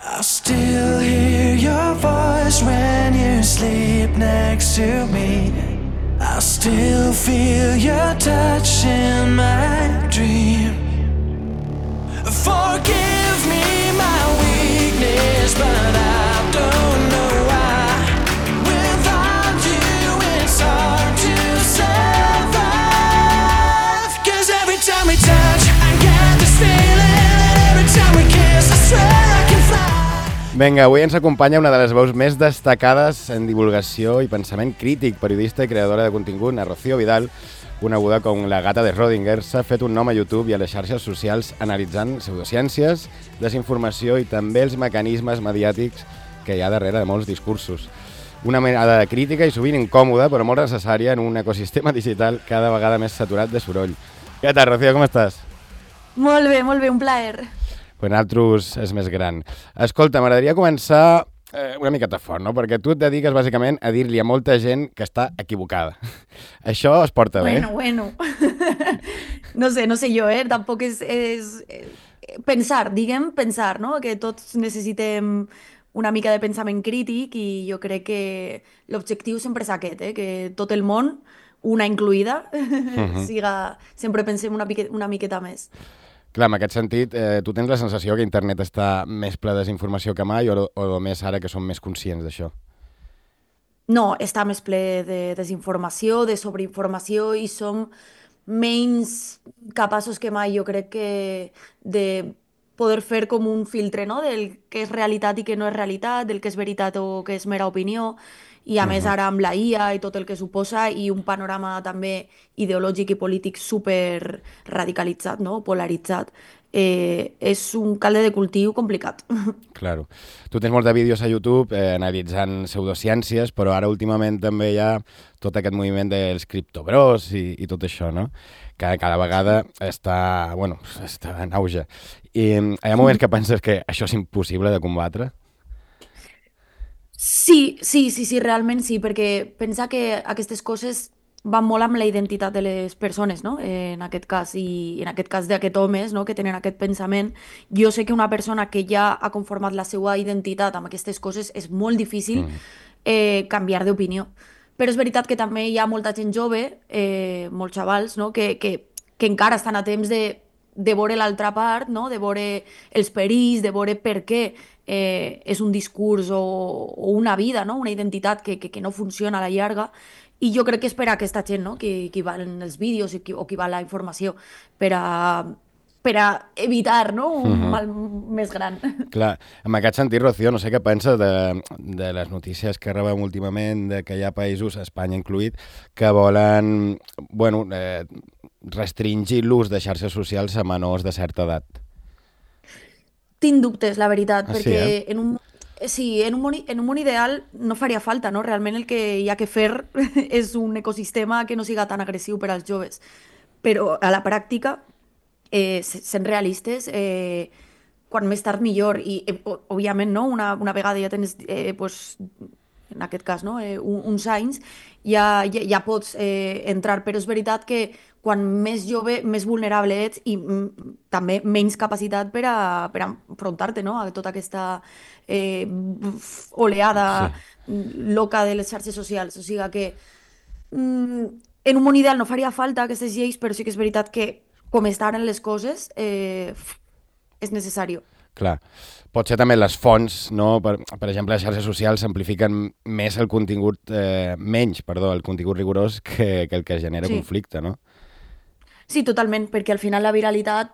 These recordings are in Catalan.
I still hear your voice when you sleep next to me. I still feel your touch in my dream. Forgive me my weakness, but I don't know why. Without you it's hard to survive. 'Cause every time we touch I get this feeling, and every time we kiss I swear I can fly. Vinga, avui ens acompanya una de les veus més destacades en divulgació i pensament crític, periodista i creadora de contingut, la Rocío Vidal, coneguda com la gata de Schrödinger. S'ha fet un nom a YouTube i a les xarxes socials analitzant pseudociències, desinformació i també els mecanismes mediàtics que hi ha darrere de molts discursos. Una mirada crítica i sovint incòmoda, però molt necessària en un ecosistema digital cada vegada més saturat de soroll. Què tal, Rocío, com estàs? Molt bé, un plaer. Pues nosaltres és més gran. Escolta, m'agradaria començar una miqueta fort, no? Perquè tu et dediques bàsicament a dir-li a molta gent que està equivocada. Això es porta bé? Bueno. No sé jo, Tampoc és pensar, no? Que tots necessitem una mica de pensament crític i jo crec que l'objectiu sempre és aquest, que tot el món, una incluïda, sempre pensem una miqueta més. Clar, en aquest sentit, tu tens la sensació que internet està més ple de desinformació que mai o només ara que som més conscients d'això? No, està més ple de desinformació, de sobreinformació i som menys capaços que mai, jo crec que de poder fer com un filtre, no? Del que és realitat i que no és realitat, del que és veritat o que és mera opinió. I a més ara amb la IA i tot el que suposa i un panorama també ideològic i polític super radicalitzat, no? Polaritzat, és un calde de cultiu complicat. Claro. Tu tens molts de vídeos a YouTube analitzant pseudociències, però ara últimament també hi ha tot aquest moviment dels criptobros i tot això, no? Que cada vegada està en auge. I hi ha moments que penses que això és impossible de combatre? Sí, realment sí, perquè pensa que aquestes coses van molt amb la identitat de les persones, no? En aquest cas, i en aquest cas d'aquests homes, no? Que tenen aquest pensament. Jo sé que una persona que ja ha conformat la seva identitat amb aquestes coses és molt difícil canviar d'opinió. Però és veritat que també hi ha molta gent jove, molts xavals, no? que encara estan a temps de veure l'altra part, no? De veure els perills, de veure per què és un discurs o una vida, no? Una identitat que no funciona a la llarga. I jo crec que és per a aquesta gent, no? que valen els vídeos o que val la informació per a evitar, no? Un mal més gran. Clar, en aquest sentit, Rocío, no sé què penses de les notícies que rebem últimament, de que hi ha països, Espanya incluït, que volen restringir l'ús de xarxes socials a menors de certa edat. Tinc dubtes, la veritat, perquè sí, en un món ideal no faria falta, no? Realment el que hi ha que fer és un ecosistema que no siga tan agressiu per als joves. Però a la pràctica, sent realistes, quan més tard millor. I, òbviament, no? Una vegada ja tens, en aquest cas, no? Uns anys, ja pots entrar. Però és veritat que quan més jove, més vulnerable ets i també menys capacitat per a enfrontar-te, no? A tota aquesta oleada loca de les xarxes socials. O sigui que en un món ideal no faria falta aquestes lleis, però sí que és veritat que com estan les coses és necessari. Clar. Pot ser també les fonts, no? Per exemple, les xarxes socials amplifiquen més el contingut, el contingut rigorós que el que genera conflicte, no? Sí, totalment, perquè al final la viralitat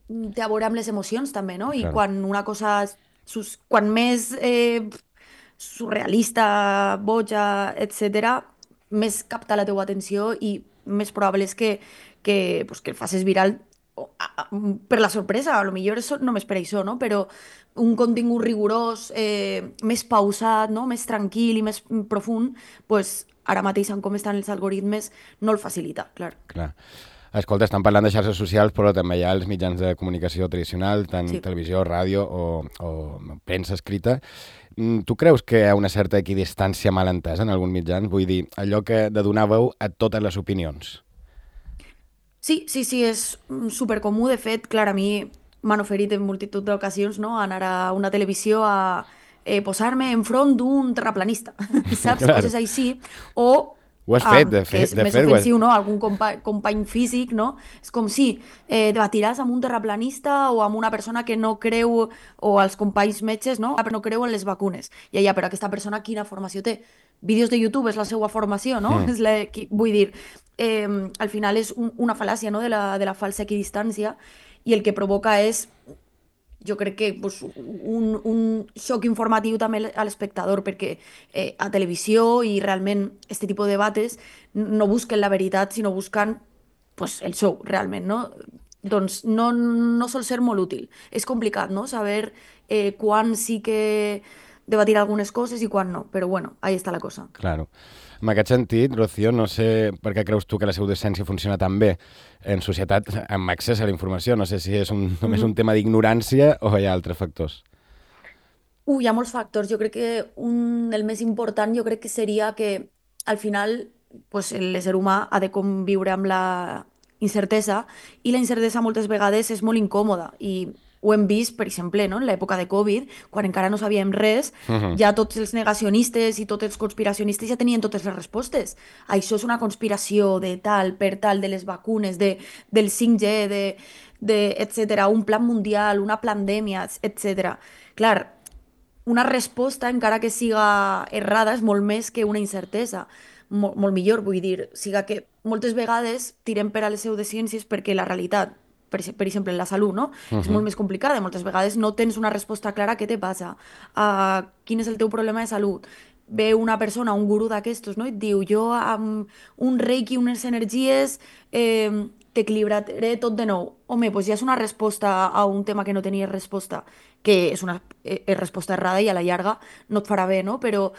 té a veure amb les emocions també, no? I quan una cosa, quan més surrealista, boja, etc., més capta la teua atenció i més probable és que el facis viral per la sorpresa, a lo millor només per això, no? Però un contingut rigorós, més pausat, no? Més tranquil i més profund, pues, ara mateix, com estan els algoritmes, no el facilita, clar. Escolta, estan parlant de xarxes socials, però també hi ha els mitjans de comunicació tradicional, tant televisió, ràdio o premsa escrita. Tu creus que hi ha una certa equidistància mal entesa en alguns mitjans? Vull dir, allò que de donar veu a totes les opinions. Sí, és supercomú. De fet, clar, a mi m'han oferit en multitud d'ocasions, no? Anar a una televisió a posar-me enfront d'un terraplanista, saps? Clar. Coses així. O Ho has fet, de que és fet, més ho has... ofensiu, no? Algun company físic, no? És com si debatiràs amb un terraplanista o amb una persona que no creu, o als companys metges, no? Que no creu en les vacunes. I ja, però aquesta persona quina formació té? Vídeos de YouTube és la seva formació, no? Vull dir, al final és una fal·làcia, no? De la falsa equidistància, i el que provoca és, jo crec que pues, un xoc informatiu també a l'espectador, perquè a televisió i realment aquest tipus de debates no busquen la veritat, sinó busquen pues, el show, realment, no? Doncs no sol ser molt útil. És complicat, no?, saber quan sí que debatir algunes coses i quan no, però bueno, ahí està la cosa. Claro. En aquest sentit, Rocío, no sé per què creus tu que la pseudociència funciona tan bé en societat amb accés a la informació. No sé si és només un tema d'ignorància o hi ha altres factors. Hi ha molts factors. Jo crec que el més important jo crec que seria que al final pues, l'ésser humà ha de conviure amb la incertesa, i la incertesa moltes vegades és molt incòmoda, i ho hem vist, per exemple, no? En l'època de Covid, quan encara no sabíem res, ja tots els negacionistes i tots els conspiracionistes ja tenien totes les respostes. Això és una conspiració de tal, per tal, de les vacunes, del 5G, etcètera, un plan mundial, una pandèmia, etcètera. Clar, una resposta, encara que siga errada, és molt més que una incertesa. Molt millor, vull dir, siga que moltes vegades tirem per a les pseudociències perquè la realitat, per exemple, la salut, no? És molt més complicada. Moltes vegades no tens una resposta clara a què te passa, a quin és el teu problema de salut. Ve una persona, un gurú d'aquestos, no? I et diu, jo amb un reiki, unes energies, t'equilibraré tot de nou. Home, doncs ja és una resposta a un tema que no tenies resposta, que és una resposta errada i a la llarga no et farà bé, no? Però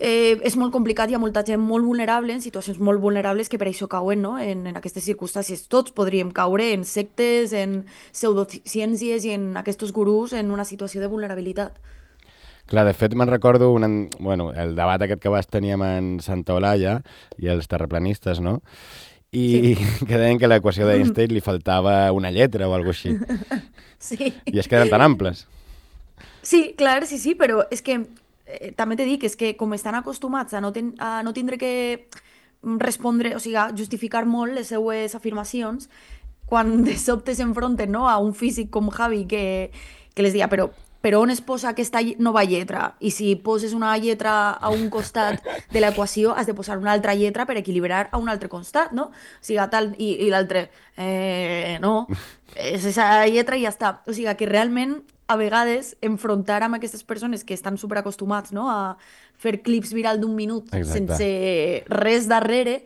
és molt complicat, hi ha molta gent molt vulnerable, en situacions molt vulnerables, que per això cauen, no? En aquestes circumstàncies. Tots podríem caure en sectes, en pseudociències i en aquests gurús en una situació de vulnerabilitat. Clar, de fet, me'n recordo el debat aquest que vas tenir amb en Santa Olalla i els terraplanistes, no? I que deien que a l'equació d'Einstein li faltava una lletra o alguna cosa així. Sí. I és que eren tan amples. Sí, clar, sí, però és que també t'he dit, és que com estan acostumats a no tindre que respondre, o sigui, a justificar molt les seues afirmacions, quan de sobte s'enfronten, no, a un físic com Javi que les dia, però on es posa aquesta nova lletra? I si poses una lletra a un costat de l'equació, has de posar una altra lletra per equilibrar a un altre costat, no? O sigui, tal, i l'altre, no, és aquesta lletra i ja està. O sigui, que realment a vegades enfrontar amb aquestes persones que estan superacostumats, no, a fer clips viral d'un minut sense res darrere,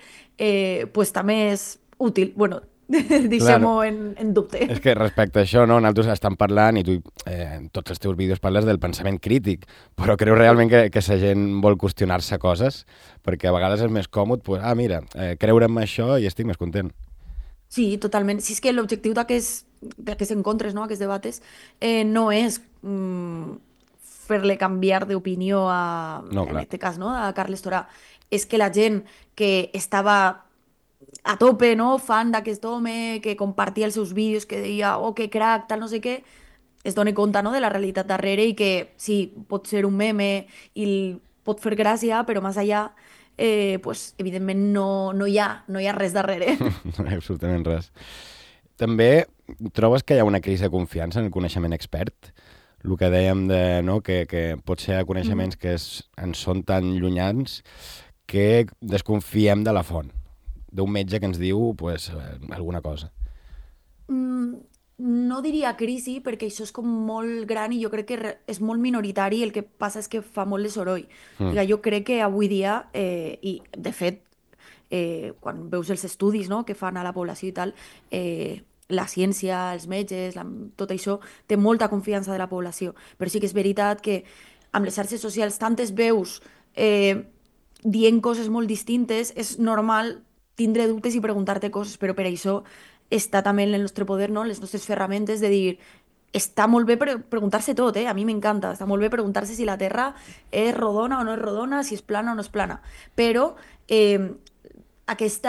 pues també és útil. Bueno, deixem-ho en dubte. És que respecte a això, no, nosaltres estem parlant i tu en tots els teus vídeos parles del pensament crític, però creu realment que la gent vol qüestionar-se coses? Perquè a vegades és més còmode, pues, mira, creure en això i estic més content. Sí, totalment. Si és que l'objectiu d'aquests encontres, no, aquests debates, no és fer-le canviar d'opinió en aquest cas, no, a Carles Torà. És que la gent que estava a tope, no, fan d'aquest home, que compartia els seus vídeos, que deia, oh, que crac, tal, no sé què, es doni compte, no, de la realitat darrere, i que sí, pot ser un meme i pot fer gràcia, però més allà pues, evidentment no hi ha res darrere. No hi ha absolutament res. També trobes que hi ha una crisi de confiança en el coneixement expert? El que dèiem no, que pot ser coneixements que ens són tan llunyans que desconfiem de la font, d'un metge que ens diu pues, alguna cosa. No diria crisi, perquè això és com molt gran i jo crec que és molt minoritari, el que passa és que fa molt de soroll. Jo crec que avui dia, i de fet, quan veus els estudis, no, que fan a la població i tal, la ciència, els metges, tot això, té molta confiança de la població. Però sí que és veritat que amb les xarxes socials tantes veus dient coses molt distintes, és normal tindre dubtes i preguntar-te coses, però per això està també en el nostre poder, no? Les nostres ferramentes de dir, està molt bé preguntar-se tot, a mi m'encanta, està molt bé preguntar-se si la Terra és rodona o no és rodona, si és plana o no és plana, però aquest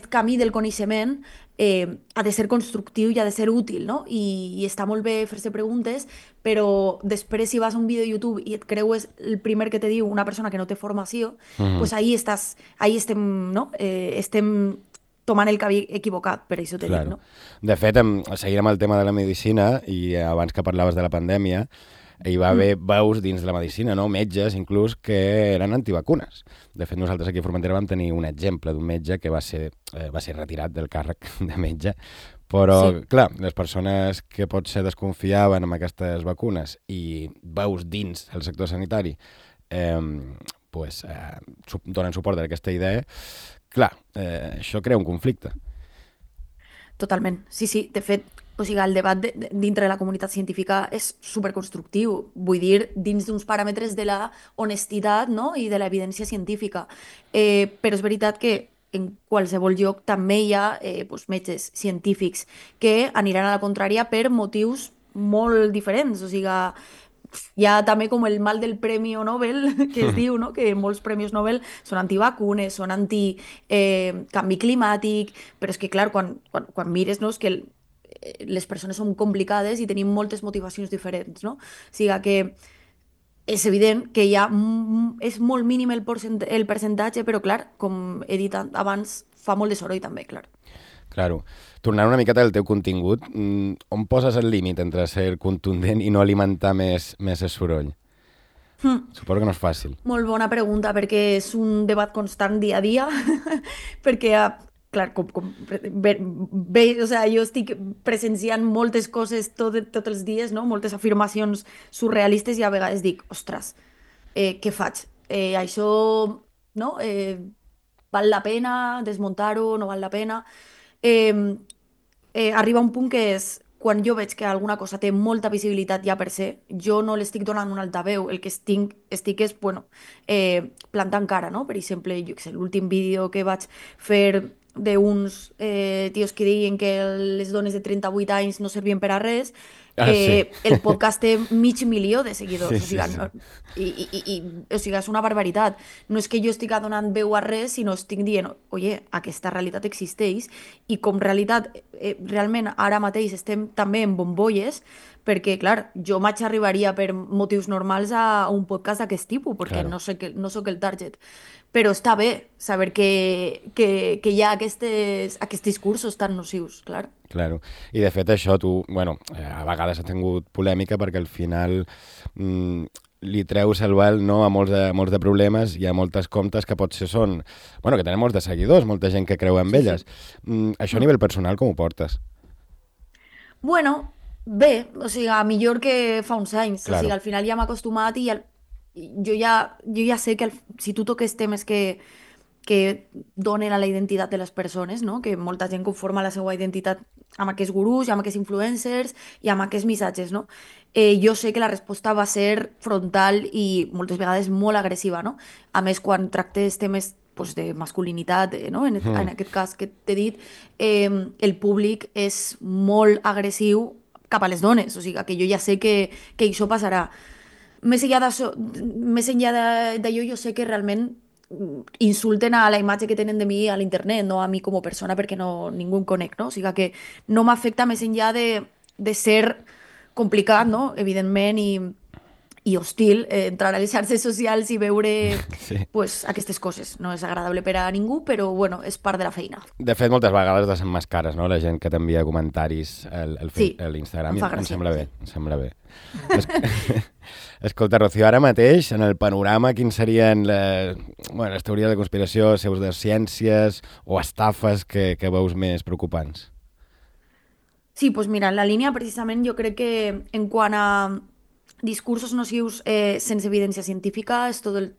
camí del coneixement ha de ser constructiu i ha de ser útil, no? I està molt bé fer-se preguntes, però després si vas a un vídeo de YouTube i et creues el primer que te diu una persona que no té formació, pues ahí estem, no? Estem tomant el camí equivocat, per això t'he dit, no? De fet, seguint amb el tema de la medicina, i abans que parlaves de la pandèmia, hi va haver veus dins de la medicina, no? Metges, inclús, que eren antivacunes. De fet, nosaltres aquí a Formentera vam tenir un exemple d'un metge que va ser retirat del càrrec de metge, però, clar, les persones que potser desconfiaven amb aquestes vacunes i veus dins el sector sanitari donen suport a aquesta idea, clar, això crea un conflicte. Totalment, sí. De fet, o sigui, el debat dintre de la comunitat científica és superconstructiu. Vull dir, dins d'uns paràmetres de la honestitat, no? I de l'evidència científica. Però és veritat que en qualsevol lloc també hi ha metges científics que aniran a la contrària per motius molt diferents. O sigui, hi ha també com el mal del Premi Nobel, que es diu, no? Que molts premis Nobel són antivacunes, són anti-canvi climàtic, però és que, clar, quan mires, no? És que les persones són complicades i tenim moltes motivacions diferents, no? O sigui que és evident que és molt mínim el percentatge, però, clar, com he dit abans, fa molt de soroll també, clar. Claro. Tornant una miqueta al teu contingut, on poses el límit entre ser contundent i no alimentar més el soroll? Suposo que no és fàcil. Molt bona pregunta, perquè és un debat constant dia a dia, perquè, clar, o sigui, jo estic presenciant moltes coses tots els dies, no? Moltes afirmacions surrealistes i a vegades dic, ostres, què faig? Això, no? Val la pena desmuntar-ho, no val la pena? Arriba un punt que és quan jo veig que alguna cosa té molta visibilitat ja per ser, jo no l'estic donant un altaveu, el que estic és, plantant cara, no? Per exemple, jo què sé, l'últim vídeo que vaig fer d'uns tios que deien que les dones de 38 anys no servien per a res, el podcast té 500.000 de seguidors, o sigui, és una barbaritat. No és que jo estic donant veu a res, sinó estic dient, oye, aquesta realitat existeix i com realitat, realment ara mateix estem també en bombolles, perquè, clar, jo maig arribaria per motius normals a un podcast d'aquest tipus, perquè no soc el target. Però està bé saber que hi ha aquests discursos tan nocius, clar. Claro. I de fet això tu, a vegades ha tingut polèmica perquè al final li treus el vel, no, a molts de problemes i a moltes comptes que potser són, que tenen molts de seguidors, molta gent que creu en elles. Això a nivell personal com ho portes? Bé, o sigui, millor que fa uns anys. Claro. O sigui, al final ja m'he acostumat i jo ja sé que si tu toques temes que donen a la identitat de les persones, no? Que molta gent conforma la seva identitat amb aquests gurús, amb aquests influencers i amb aquests missatges, no? Jo sé que la resposta va ser frontal i moltes vegades molt agressiva, no? A més, quan tractes temes de masculinitat, no? En aquest cas que t'he dit, el públic és molt agressiu cap a les dones, o sigui que jo ja sé que això passarà. Més enllà d'allò, jo sé que realment insulten a la imatge que tenen de mi a l'internet, no a mi com a persona, perquè ningú em conec, no? O sigui que no m'afecta més enllà de ser complicat, no? Evidentment, i hostil, entrar a les xarxes socials i veure aquestes coses. No és agradable per a ningú, però és part de la feina. De fet, moltes vegades desemmascares, no? La gent que t'envia comentaris a l'Instagram. Em sembla bé. Escolta, Rocío, ara mateix, en el panorama, quins serien les teories de conspiració, pseudociències o estafes que veus més preocupants? Sí, doncs mira, en la línia, precisament, jo crec que en quant a discursos nocius sense evidència científica és tot el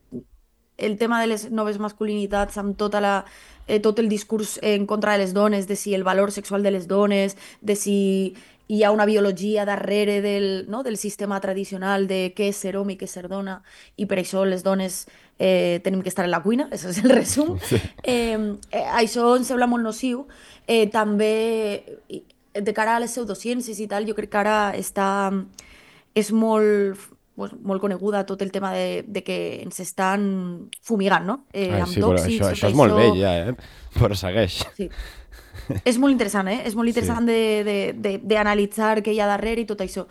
tema de les noves masculinitats amb tot el discurs en contra de les dones, de si el valor sexual de les dones, de si hi ha una biologia darrere del sistema tradicional de què és ser home i què és ser dona, i per això les dones tenim que estar en la cuina, això és el resum. Sí. Això em sembla molt nociu. També, de cara a les pseudociències i tal, jo crec que ara és molt pues, molt coneguda, tot el tema de que ens estan fumigant, no? Ai, Amb sí, però tòxics, tot això és molt això. vell ja, però segueix. Sí. És molt interessant, eh? És molt Sí. interessant d'analitzar què hi ha darrere i tot això.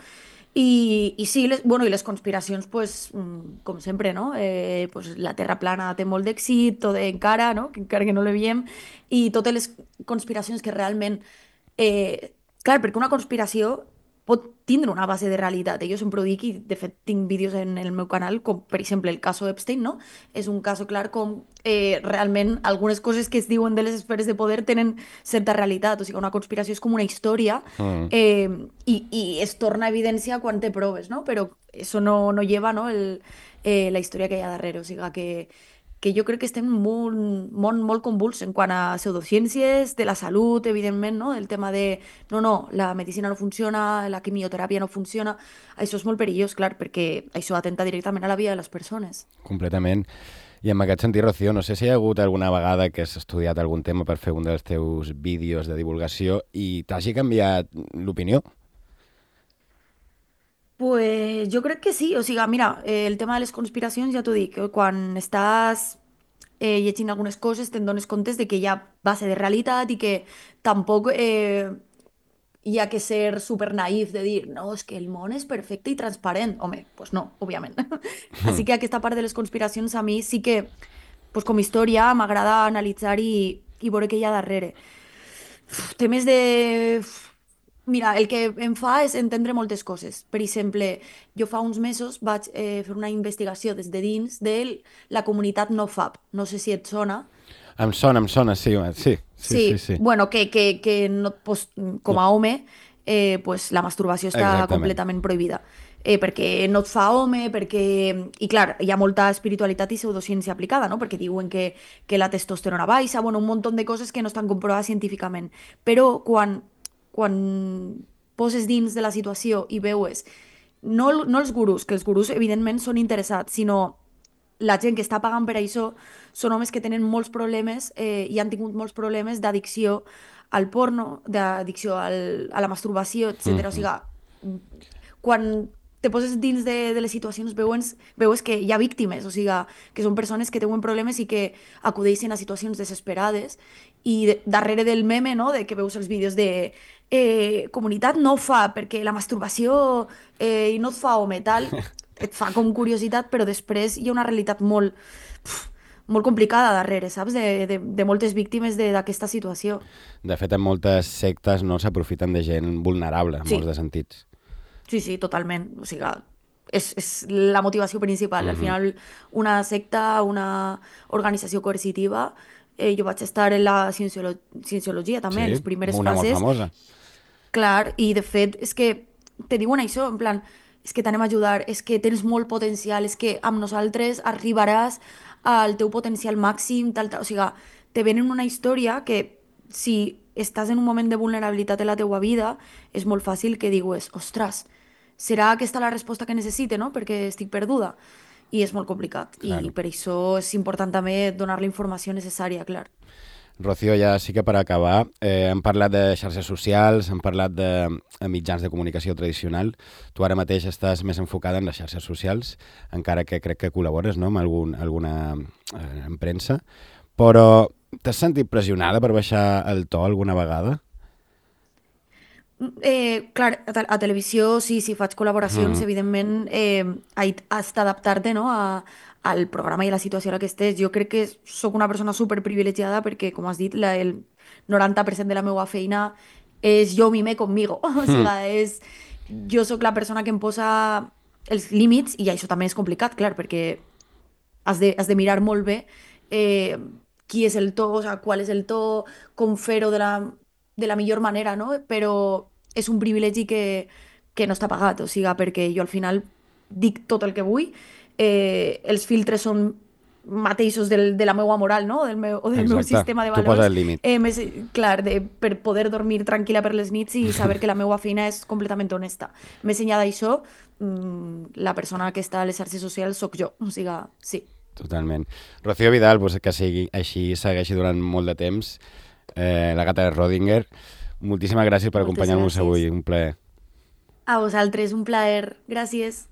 I sí, bueno, i les conspiracions, pues, com sempre, no? Pues, la Terra plana té molt d'èxit, tot encara, no? Encara que no la veiem, i totes les conspiracions que realment... Clar, perquè una conspiració pot tindre una base de realitat. Jo sempre ho dic i, de fet, tinc vídeos en el meu canal, com, per exemple, el cas Epstein, no? És un cas clar com realment algunes coses que es diuen de les esferes de poder tenen certa realitat. O sigui, una conspiració és com una història i es torna a evidència quan té proves, no? Però això no lleva, no, la història que hi ha darrere. O sigui, que jo crec que estem en un món molt convuls en quant a pseudociències, de la salut, evidentment, no? El tema de, no, la medicina no funciona, la quimioteràpia no funciona. Això és molt perillós, clar, perquè això atenta directament a la vida de les persones. Completament. I en aquest sentit, Rocío, no sé si hi ha hagut alguna vegada que has estudiat algun tema per fer un dels teus vídeos de divulgació i t'hagi canviat l'opinió? Pues jo crec que sí, o sigui, mira, el tema de les conspiracions, ja t'ho dic, quan estàs llegint algunes coses te'n dones comptes de que hi ha base de realitat i que tampoc hi ha que ser super naïf de dir, no, és que el món és perfecte i transparent. Home, pues no, òbviament. Així que aquesta part de les conspiracions a mi sí que, pues com a història, m'agrada analitzar i veure què hi ha darrere. Temes de... Mira, el que em fa és entendre moltes coses. Per exemple, jo fa uns mesos vaig fer una investigació des de dins de la comunitat NoFap. No sé si et sona. Em sona, sí, sí. Sí. Bueno, que no, pues, com a home, pues, la masturbació està Exactament. completament prohibida. Perquè no et fa home, perquè... I clar, hi ha molta espiritualitat i pseudociència aplicada, no? Perquè diuen que la testosterona baixa, bueno, un munt de coses que no estan comprovades científicament. Però quan poses dins de la situació i veues, no els gurús, que els gurús evidentment són interessats, sinó la gent que està pagant per això són homes que tenen molts problemes i han tingut molts problemes d'addicció al porno, d'addicció a la masturbació, etc. O sigui, quan te poses dins de les situacions veus que hi ha víctimes, o sigui, que són persones que tenen problemes i que acudeixen a situacions desesperades i darrere del meme, no?, de que veus els vídeos de comunitat no fa perquè la masturbació i no et fa home, tal, et fa com curiositat, però després hi ha una realitat molt complicada darrere, saps? De moltes víctimes d'aquesta situació. De fet, en moltes sectes no s'aprofiten de gent vulnerable, en molts de sentits. Sí, totalment. O sigui, és la motivació principal. Al final, una secta, una organització coercitiva, jo vaig estar en la cienciologia també, en les primeres una fases. molt famosa. Clar, i de fet és que te diuen això, en plan, és que t'anem a ajudar, és que tens molt potencial, és que amb nosaltres arribaràs al teu potencial màxim, tal. O sigui, te venen una història que si estàs en un moment de vulnerabilitat en la teua vida, és molt fàcil que digues, ostres, serà aquesta la resposta que necessite, no?, perquè estic perduda. I és molt complicat. Claro. I per això és important també donar la informació necessària, clar. Rocío, ja sí que per acabar, hem parlat de xarxes socials, hem parlat de mitjans de comunicació tradicional. Tu ara mateix estàs més enfocada en les xarxes socials, encara que crec que col·labores, no?, amb alguna premsa. Però t'has sentit pressionada per baixar el to alguna vegada? Clar, a televisió sí, faig col·laboracions, evidentment has d'adaptar-te, no?, al programa i a la situació en la que estés. Jo crec que sóc una persona superprivilegiada perquè, com has dit, el 90% de la meva feina és jo mime conmigo. O sigui, jo sóc la persona que em posa els límits i això també és complicat, clar, perquè has de mirar molt bé qui és el to, o sigui, qual és el to, com fer-ho de la millor manera, no? Però és un privilegi que no està pagat, o sigui, perquè jo al final dic tot el que vull, els filtres són mateixos de la meva moral, no?, del meu sistema de valors. Tu poses el límit. Clar, per poder dormir tranquil·la per les nits i saber que la meva feina és completament honesta. Més enllà d'això, la persona que està a les xarxes socials sóc jo, o sigui, sí. Totalment. Rocío Vidal, pues, que sigui així, segueixi durant molt de temps, la gata de Rodinger. Moltíssimes gràcies per acompanyar-nos avui, un plaer. A vosaltres, un plaer. Gràcies.